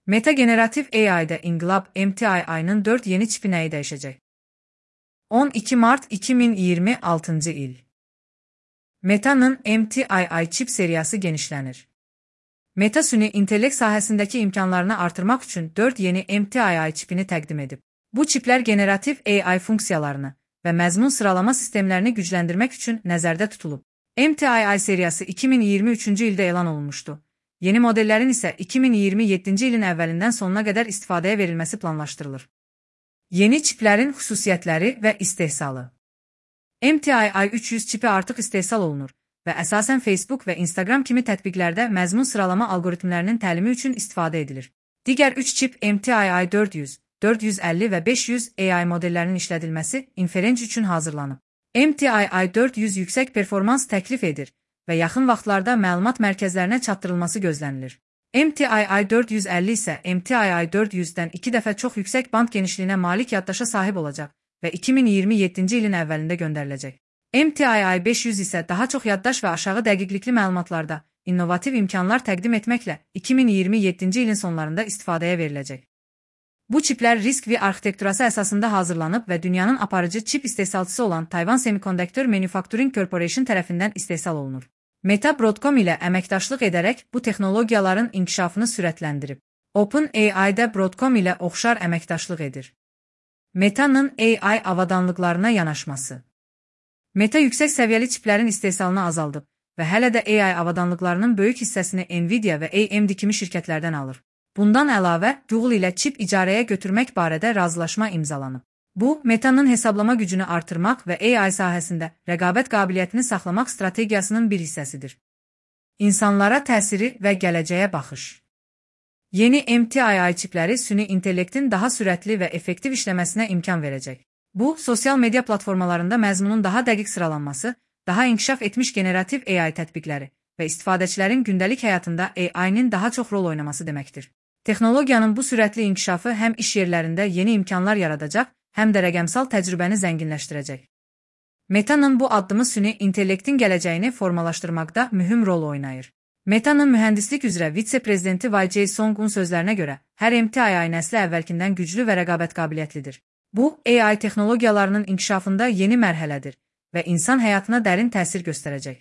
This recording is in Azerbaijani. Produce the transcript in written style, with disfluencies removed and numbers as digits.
Meta Generative AI'da İnqilab MTI'nin 4 yeni çipi nəyi dəyişəcək? 12 Mart 2026 il. Meta'nın MTII çip seriyası genişlənir. Meta süni intellekt sahəsindəki imkanlarını artırmaq üçün 4 yeni MTII çipini təqdim edib. Bu çiplər generativ AI funksiyalarını və məzmun sıralama sistemlərini gücləndirmək üçün nəzərdə tutulub. MTII seriyası 2023-cü ildə elan olunmuşdu. Yeni modellərin isə 2027-ci ilin əvvəlindən sonuna qədər istifadəyə verilməsi planlaşdırılır. Yeni çiplərin xüsusiyyətləri və istehsalı. MTII 300 çipi artıq istehsal olunur və əsasən Facebook və Instagram kimi tətbiqlərdə məzmun sıralama algoritmlərinin təlimi üçün istifadə edilir. Digər 3 çip MTII 400, 450 və 500 AI modellərinin işlədilməsi inferenc üçün hazırlanıb. MTII 400 yüksək performans təklif edir və yaxın vaxtlarda məlumat mərkəzlərinə çatdırılması gözlənilir. MTII 450 isə MTII 400-dən 2 dəfə çox yüksək band genişliyinə malik yaddaşa sahib olacaq və 2027-ci ilin əvvəlində göndəriləcək. MTII 500 isə daha çox yaddaş və aşağı dəqiqlikli məlumatlarda innovativ imkanlar təqdim etməklə 2027-ci ilin sonlarında istifadəyə veriləcək. Bu çiplər risk-V arxitekturası əsasında hazırlanıb və dünyanın aparıcı çip istehsalçısı olan Tayvan Semiconductor Manufacturing Corporation tərəfindən istehsal olunur. Meta Broadcom ilə əməkdaşlıq edərək bu texnologiyaların inkişafını sürətləndirib. OpenAI də Broadcom ilə oxşar əməkdaşlıq edir. Meta'nın AI avadanlıqlarına yanaşması. Meta yüksək səviyyəli çiplərin istehsalını azaldıb və hələ də AI avadanlıqlarının böyük hissəsini Nvidia və AMD kimi şirkətlərdən alır. Bundan əlavə, Google ilə çip icarəyə götürmək barədə razılaşma imzalanıb. Bu, Meta'nın hesablama gücünü artırmaq və AI sahəsində rəqabət qabiliyyətini saxlamaq strategiyasının bir hissəsidir. İnsanlara təsiri və gələcəyə baxış. Yeni MTII çipləri süni intellektin daha sürətli və effektiv işləməsinə imkan verəcək. Bu, sosial media platformalarında məzmunun daha dəqiq sıralanması, daha inkişaf etmiş generativ AI tətbiqləri və istifadəçilərin gündəlik həyatında AI-nin daha çox rol oynaması deməkdir. Texnologiyanın bu sürətli inkişafı həm iş yerlərində yeni imkanlar yaradacaq, həm də rəqəmsal təcrübəni zənginləşdirəcək. Meta'nın bu addımı süni intellektin gələcəyini formalaşdırmaqda mühüm rol oynayır. Meta'nın mühəndislik üzrə vitse-prezidenti YJ Song'un sözlərinə görə, hər MTII nəsli əvvəlkindən güclü və rəqabət qabiliyyətlidir. Bu, AI texnologiyalarının inkişafında yeni mərhələdir və insan həyatına dərin təsir göstərəcək.